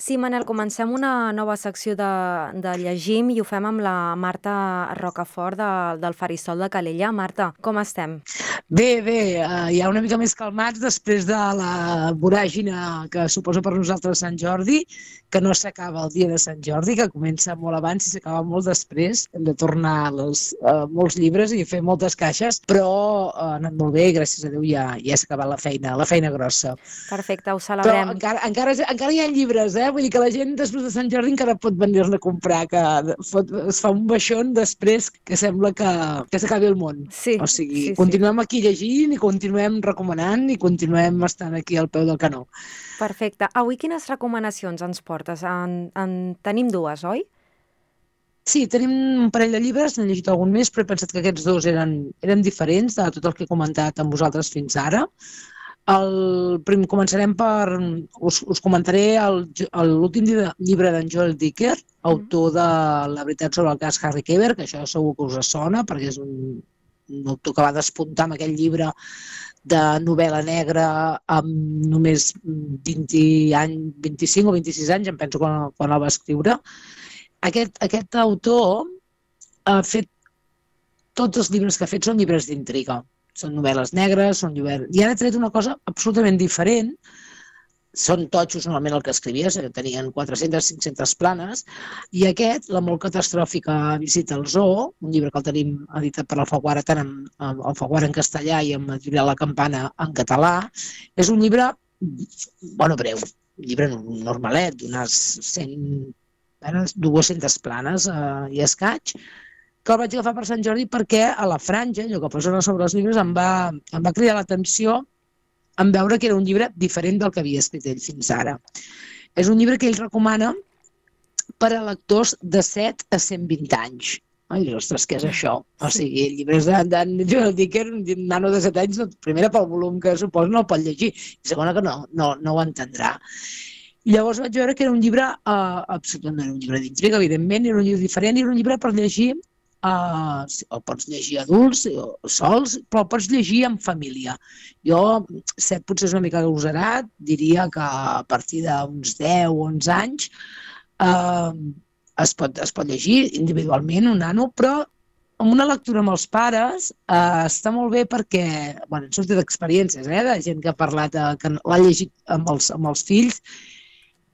Sí, Manel, comencem una nova secció de llegim i ho fem amb la Marta Rocafort del Faristol de Calella. Marta, com estem? Bé, ja una mica més calmats després de la voràgine que suposa per nosaltres Sant Jordi, que no s'acaba el dia de Sant Jordi, que comença molt abans i s'acaba molt després. Hem de tornar molts llibres i fer moltes caixes, però ha anat molt bé i gràcies a Déu ja s'ha acabat la feina grossa. Perfecte, ho Però celebrem. encara hi ha llibres, Vull dir que la gent després de Sant Jordi encara pot venir-ne a comprar, que es fa un baixón després que sembla que s'acabi el món. Sí, O sigui, sí, sí. continuem aquí llegint i continuem recomanant i continuem estant aquí al peu del canó. Perfecte. Avui quines recomanacions ens portes? Tenim dues, oi? Sí, tenim un parell de llibres, n'he llegit algun més, però he pensat que aquests dos eren diferents de tot el que he comentat amb vosaltres fins ara. Començarem per... Us comentaré l'últim llibre d'en Joel Dicker, autor de La veritat sobre el cas Harry Kéber, que això segur que us sona, perquè és un autor que va despuntar amb aquell llibre de novel·la negra amb només 20 anys, 25 o 26 anys, em penso, quan el va escriure. Aquest autor ha fet... Tots els llibres que ha fet són llibres d'intriga. Són novel·les negres, són llibres... I ara ha tret una cosa absolutament diferent. Són totxos normalment el que escrivia, tenien 400-500 planes, i aquest, La molt catastròfica visita al zoo, un llibre que el tenim editat per Alfaguara, tant amb Alfaguara en castellà i amb Editorial La Campana en català, és un llibre, breu, un llibre normalet, d'unes 200 planes i escaig, que el vaig agafar per Sant Jordi perquè a la franja, allò que posa sobre els llibres, em va cridar l'atenció en veure que era un llibre diferent del que havia escrit ell fins ara. És un llibre que ell recomana per a lectors de 7 a 120 anys. I dius, ostres, què és això? O sigui, llibres d'en Joel Dicker, un nano de 7 anys, primera pel volum que suposa no el pot llegir, i segona que no ho entendrà. I llavors vaig veure que era un llibre, absolutament no era un llibre d'intriga, evidentment, era un llibre diferent, era un llibre per llegir, el pots llegir adults o sols, però el pots llegir en família. Jo, potser és una mica agosarat, diria que a partir d'uns 10 o 11 anys es pot llegir individualment un nano, però amb una lectura amb els pares està molt bé perquè, han sortit experiències de gent que ha parlat, que l'ha llegit amb els fills,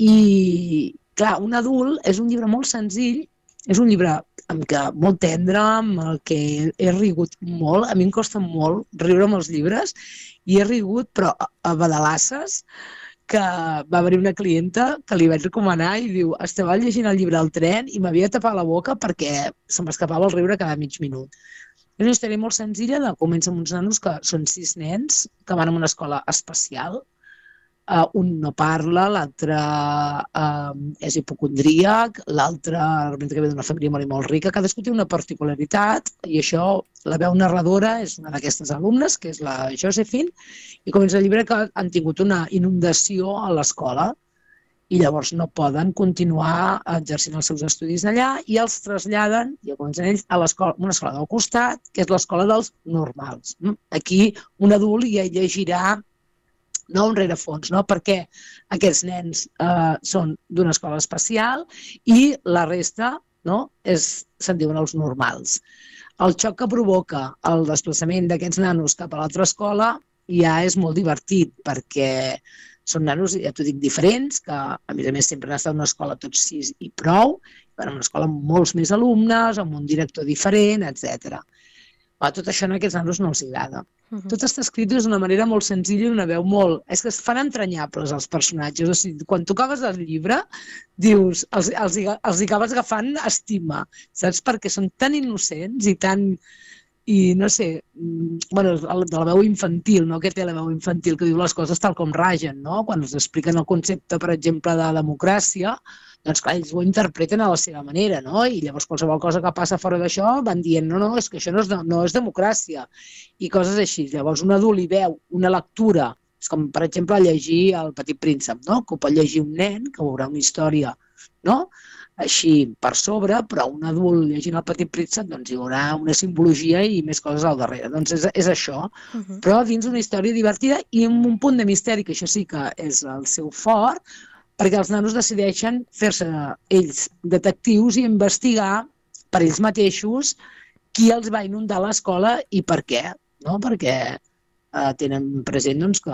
i clar, un adult és un llibre molt senzill, és un llibre molt tendre, amb el que he rigut molt. A mi em costa molt riure amb els llibres, i he rigut, però a badalasses, que va haver una clienta que li vaig recomanar i diu, estava llegint el llibre al tren i m'havia tapat la boca perquè se m'escapava el riure cada mig minut. És una història molt senzilla, comença amb uns nanos que són 6 nens que van a una escola especial. Un no parla, l'altre és hipocondríac, l'altre que ve d'una família molt rica. Cadascú té una particularitat, i això la veu narradora és una d'aquestes alumnes, que és la Josephine, i comença el llibre que han tingut una inundació a l'escola i llavors no poden continuar exercint els seus estudis allà i els traslladen, i comencen ells, a una escola del costat, que és l'escola dels normals. Aquí un adult ja llegirà no un rerefons, perquè aquests nens són d'una escola especial i la resta se'n diuen els normals. El xoc que provoca el desplaçament d'aquests nanos cap a l'altra escola ja és molt divertit, perquè són nanos, ja t'ho dic, diferents, que a més sempre han estat en una escola tots 6 i prou, en una escola amb molts més alumnes, amb un director diferent, etc. Tot això a aquests nanos no els agrada. Tot està escrit d'una manera molt senzilla i una veu molt... És que es fan entranyables els personatges. O sigui, quan tu acabes el llibre, dius, els acabes agafant estima, saps? Perquè són tan innocents i tan... I no sé, de la veu infantil, que té la veu infantil, que diu les coses tal com ragen, quan els expliquen el concepte, per exemple, de democràcia, doncs clar, ells ho interpreten a la seva manera, i llavors qualsevol cosa que passa fora d'això van dient, no, és que això no és democràcia, i coses així. Llavors un adult hi veu una lectura, és com per exemple llegir El petit príncep, que ho pot llegir un nen, que veurà una història, així per sobre, però un adult llegint El petit príncep doncs hi haurà una simbologia i més coses al darrere. Doncs és això, però dins una història divertida i amb un punt de misteri, que això sí que és el seu fort, perquè els nanos decideixen fer-se ells detectius i investigar per ells mateixos qui els va inundar l'escola i per què, no? Perquè tenen present doncs, que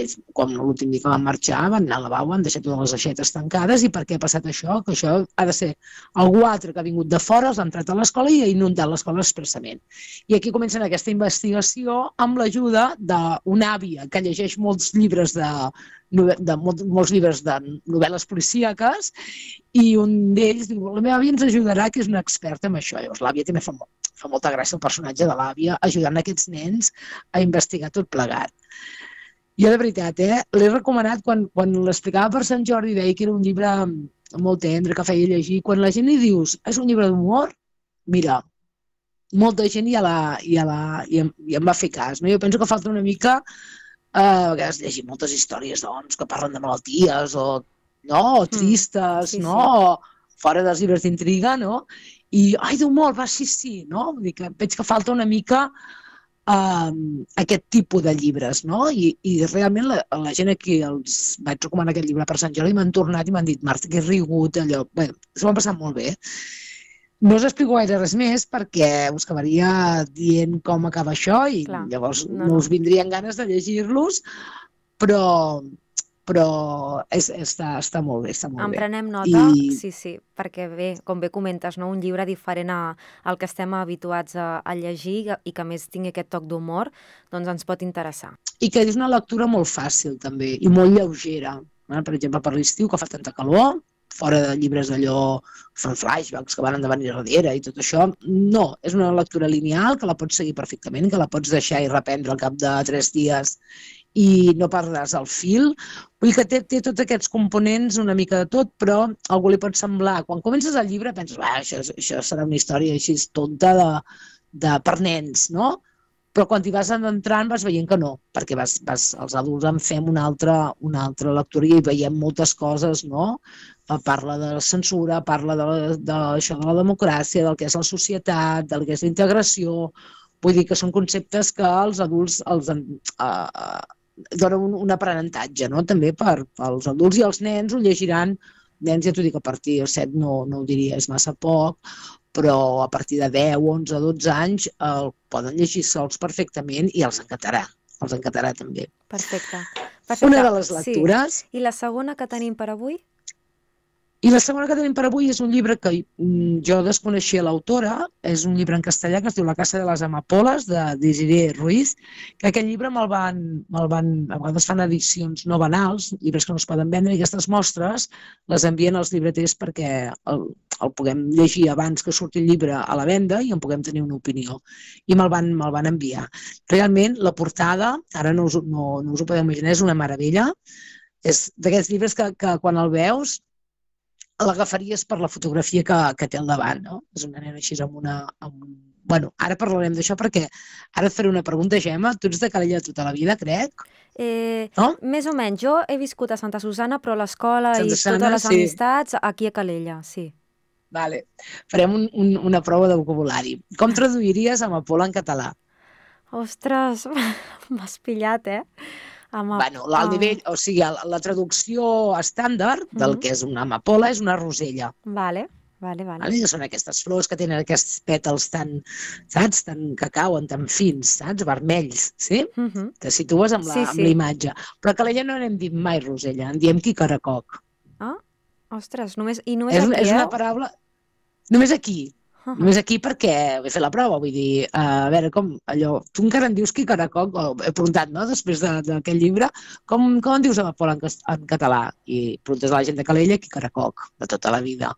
ells, quan l'últim dia que van marxar, van anar al lavabo, han deixat totes les aixetes tancades i per què ha passat això? Que això ha de ser algú altre que ha vingut de fora, els ha entrat a l'escola i ha inundat l'escola expressament. I aquí comencen aquesta investigació amb l'ajuda d'una àvia que llegeix molts llibres molts llibres de novel·les policíaques i un d'ells diu, la meva àvia ens ajudarà, que és una experta en això. Llavors l'àvia també fa molta gràcia el personatge de l'àvia ajudant aquests nens a investigar tot plegat. Jo, de veritat, l'he recomanat quan l'explicava per Sant Jordi, deia que era un llibre molt tendre, que feia llegir. Quan la gent li dius, és un llibre d'humor, mira, molta gent i em va fer cas. No? Jo penso que falta una mica, a vegades llegir moltes històries doncs, que parlen de malalties o tristes, sí, no? O fora dels llibres d'intriga, no? I, ai, d'humor, va, sí, no? Vull dir que veig que falta una mica aquest tipus de llibres, no? I realment la gent aquí els vaig recomanar aquest llibre per Sant Jordi i m'han tornat i m'han dit, Marta, que he rigut, allò... Bé, s'ho han passat molt bé. No us explico gaire res més perquè us acabaria dient com acaba això i llavors no us vindrien ganes de llegir-los, però està molt bé, està molt bé. En prenem nota, sí, perquè bé, com bé comentes, no? Un llibre diferent al que estem habituats a llegir i que a més tingui aquest toc d'humor, doncs ens pot interessar. I que és una lectura molt fàcil també i molt lleugera. Per exemple, per l'estiu, que fa tanta calor, fora de llibres d'allò, fan flashbacks que van endavant i darrere i tot això, no, és una lectura lineal que la pots seguir perfectament, que la pots deixar i reprendre al cap de 3 dies i no perdràs el fil. Vull dir que té tots aquests components una mica de tot, però algú li pot semblar, quan comences el llibre penses, això serà una història així tonta per nens, no? Però quan t'hi vas adentrant vas veient que no, perquè els adults en fem una altra lectura i veiem moltes coses, no? Parla de la censura, parla d'això de la democràcia, del que és la societat, del que és la integració. Vull dir que són conceptes que els adults donen un aprenentatge, no? També pels adults i els nens ho llegiran. Nens, ja t'ho dic, a partir de 7 no ho diria, és massa poc, però a partir de 10, 11, 12 anys el poden llegir sols perfectament i els encantarà també. Perfecte. Una de les lectures. Sí. I la segona que tenim per avui? I la segona que tenim per avui és un llibre que jo desconeixia l'autora, és un llibre en castellà que es diu La casa de les amapoles, de Desiree Ruiz, que aquest llibre a vegades fan edicions no banals, llibres que no es poden vendre, i aquestes mostres les envien als llibreters perquè el puguem llegir abans que surti el llibre a la venda i en puguem tenir una opinió. I me'l van enviar. Realment, la portada, ara no us ho podeu imaginar, és una meravella. És d'aquests llibres que quan el veus l'agafaries per la fotografia que té al davant, no? És una nena així Bueno, ara parlarem d'això perquè ara et faré una pregunta, Gemma. Tu ets de Calella tota la vida, crec? No? Més o menys. Jo he viscut a Santa Susana, però l'escola i totes les amistats aquí a Calella, sí. Vale. Farem una prova de vocabulari. Com traduiries amapola en català? Ostres, m'has pillat, Bueno, l'alt nivell, o sigui, la traducció estàndard del que és una amapola és una rosella. Vale. Que són aquestes flors que tenen aquests pètals tan que cauen, tan fins, saps? Vermells, sí? Te situes amb la imatge. Però a Calella no n'hem dit mai rosella, en diem quicaracoc. Ah, ostres, només aquí, És una paraula... Només aquí. Només aquí perquè he fet la prova, vull dir, a veure, com allò... Tu encara en dius quicaracoc, he preguntat, no?, després d'aquest llibre, com en dius amapola en català? I preguntes a la gent de Calella, quicaracoc, de tota la vida.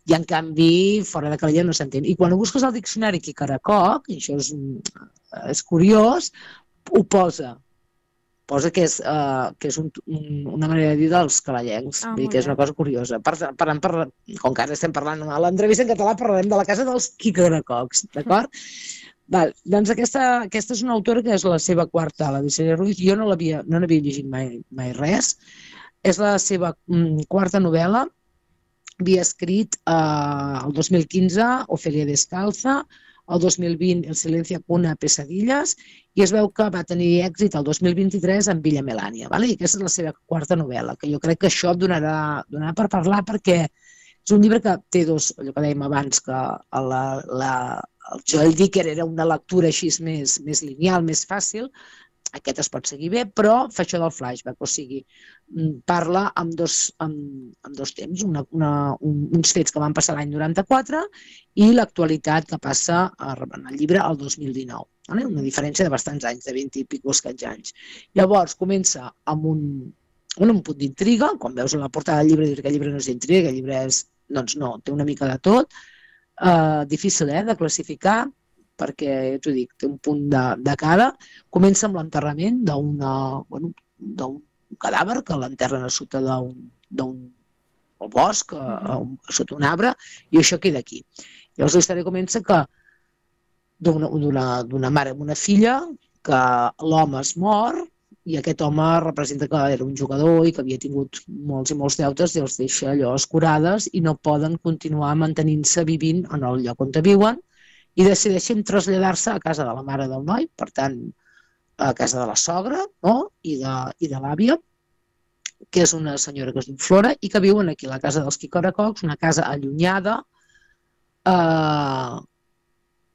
I en canvi, fora de Calella no s'entén. I quan ho busques al diccionari quicaracoc, i això és curiós, ho posa que és una manera de dir dels calellencs, vull dir que és una cosa curiosa. Com que ara estem parlant a l'entrevista en català, parlarem de la casa dels quicaracocs, d'acord? Doncs aquesta és una autora que és la seva quarta, la Desiree Ruiz. Jo no n'havia llegit mai res. És la seva quarta novel·la. Havia escrit el 2015 Ofelia Descalza, el 2020 El silencio cuna pesadilles, i es veu que va tenir èxit el 2023 amb Villa Melania, vale? I aquesta és la seva quarta novel·la, que jo crec que això et donarà per parlar, perquè és un llibre que té dos, allò que dèiem abans, que el Joel Dicker era una lectura així més lineal, més fàcil. Aquest es pot seguir bé, però fa això del flashback, o sigui, parla amb dos temps, uns fets que van passar l'any 94 i l'actualitat que passa en el llibre el 2019. Una diferència de bastants anys, de 20 i pics anys. Llavors comença amb un punt d'intriga. Quan veus la portada del llibre dius que el llibre no és d'intriga, que el llibre és, doncs no, té una mica de tot. Difícil de classificar, perquè, t'ho dic, té un punt de cada. Comença amb l'enterrament d'un cadàver que l'enterren a sota d'un bosc, sota un arbre, i això queda aquí. Llavors la història comença que d'una mare amb una filla, que l'home es mor, i aquest home representa que era un jugador i que havia tingut molts i molts deutes i els deixa allò escurades i no poden continuar mantenint-se vivint en el lloc on viuen, i decideixen traslladar-se a casa de la mare del noi, per tant, a casa de la sogra, no? I de l'àvia, que és una senyora que es diu Flora i que viuen aquí a la casa dels Quicoracocs, una casa allunyada,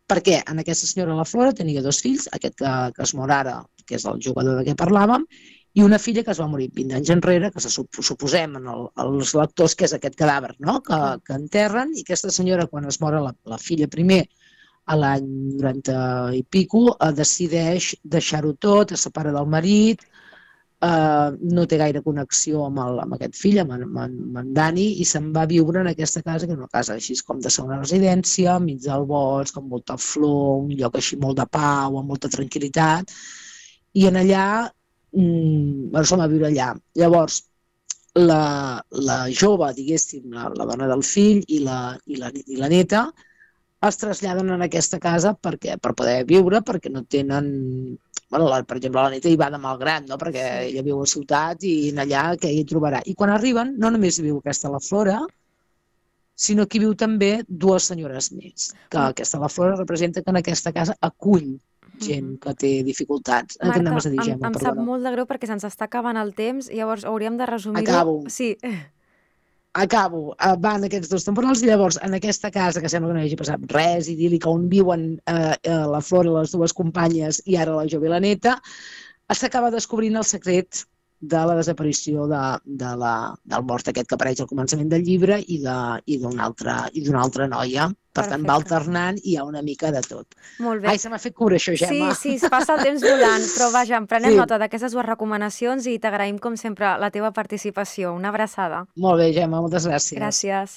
perquè en aquesta senyora, la Flora, tenia dos fills, aquest que es mor ara, que és el jugador de què parlàvem, i una filla que es va morir 20 anys enrere, que suposem els lectors que és aquest cadàver, no? que enterren, i aquesta senyora, quan es mor la filla primer, a l'any 90 i pico, decideix deixar-ho tot, es separa del marit, no té gaire connexió amb aquest fill, amb en Dani, i se'n va viure en aquesta casa, que és una casa així com de segona residència, enmig del bosc, amb molta flor, un lloc així molt de pau, amb molta tranquil·litat, i en allà se'n va viure allà. Llavors, la jove, diguéssim, la dona del fill i la neta, es traslladen en aquesta casa per poder viure, perquè no tenen... per exemple, la neta hi va de malgrat, no? Perquè ella viu a ciutat i allà què hi trobarà. I quan arriben, no només hi viu aquesta la Flora, sinó que hi viu també dues senyores més. Que aquesta la Flora representa que en aquesta casa acull gent que té dificultats. Marta, em sap molt de greu perquè se'ns està acabant el temps, llavors hauríem de resumir-ho. Acabo. Sí. Acabo, van aquests dos temporals i llavors en aquesta casa, que sembla que no hi hagi passat res, idíl·lica, on viuen la Flora, les dues companyes i ara la jove i la neta, s'acaba descobrint el secret de la desaparició del mort aquest que apareix al començament del llibre i d'una altra noia. Per tant, va alternant i hi ha una mica de tot. Molt bé. Ai, se m'ha fet cura això, Gemma. Sí, es passa el temps volant, però vaja, en prenem nota d'aquestes dues recomanacions i t'agraïm, com sempre, la teva participació. Una abraçada. Molt bé, Gemma, moltes gràcies. Gràcies.